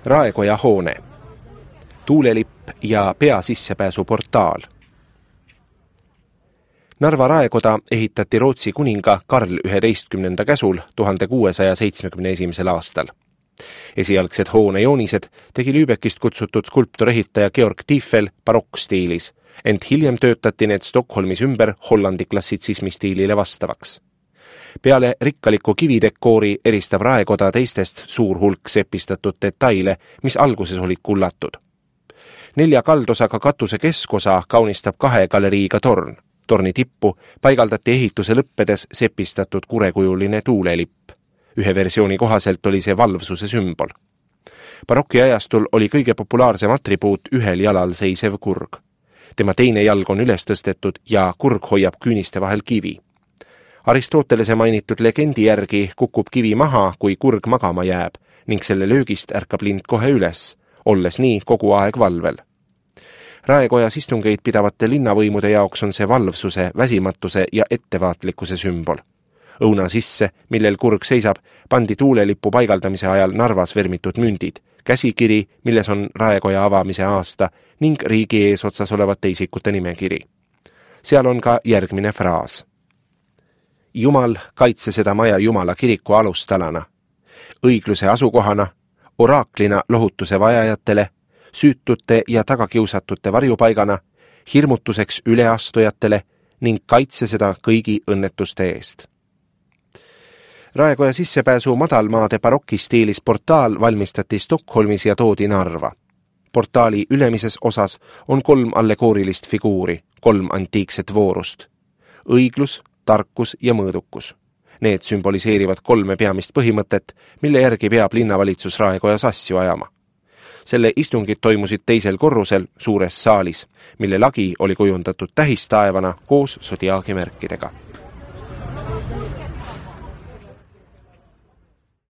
Raekoja hoone, tuulelipp ja peasissepääsu portaal. Narva raekoda ehitati Rootsi kuninga Karl 11. käsul 1671. aastal. Esialgsed hoone joonised tegi Lübeckist kutsutud skulptorehitaja Georg Tiefel barokkstiilis, ent hiljem töötati need Stockholmis ümber Hollandi klassitsismi stiilile vastavaks. Peale rikkaliku kividekoori eristab raekoda teistest suur hulk sepistatud detaile, mis alguses olid kullatud. 4 kaldosaga katuse keskosa kaunistab 2 galeriiga torn. Torni tippu paigaldati ehituse lõppedes sepistatud kurekujuline tuulelipp. Ühe versiooni kohaselt oli see valvsuse sümbol. Barokiajastul oli kõige populaarsem atribuut ühel jalal seisev kurg. Tema teine jalg on üles tõstetud ja kurg hoiab küüniste vahel kivi. Aristotelese mainitud legendi järgi kukub kivi maha, kui kurg magama jääb, ning selle löögist ärkab lind kohe üles, olles nii kogu aeg valvel. Raekojas istungeid pidavate linnavõimude jaoks on see valvsuse, väsimatuse ja ettevaatlikkuse sümbol. Õuna sisse, millel kurg seisab, pandi tuulelippu paigaldamise ajal Narvas vermitud mündid, käsikiri, milles on raekoja avamise aasta ning riigi eesotsas olevate isikute nimekiri. Seal on ka järgmine fraas. Jumal, kaitse seda maja Jumala kiriku alustalana, õigluse asukohana, oraaklina lohutuse vajajatele, süütute ja tagakiusatute varjupaigana, hirmutuseks üleastujatele ning kaitse seda kõigi õnnetuste eest. Raekoja sissepääsu madalmaade barokistiilis portaal valmistati Stockholmis ja toodi Narva. Portaali ülemises osas on 3 allegoorilist figuuri, 3 antiikset voorust. Õiglus, tarkus ja mõõdukus. Need sümboliseerivad 3 peamist põhimõtet, mille järgi peab linnavalitsus Raekojas asju ajama. Selle istungid toimusid 2. korrusel suures saalis, mille lagi oli kujundatud tähistaevana koos sodiaagimärkidega.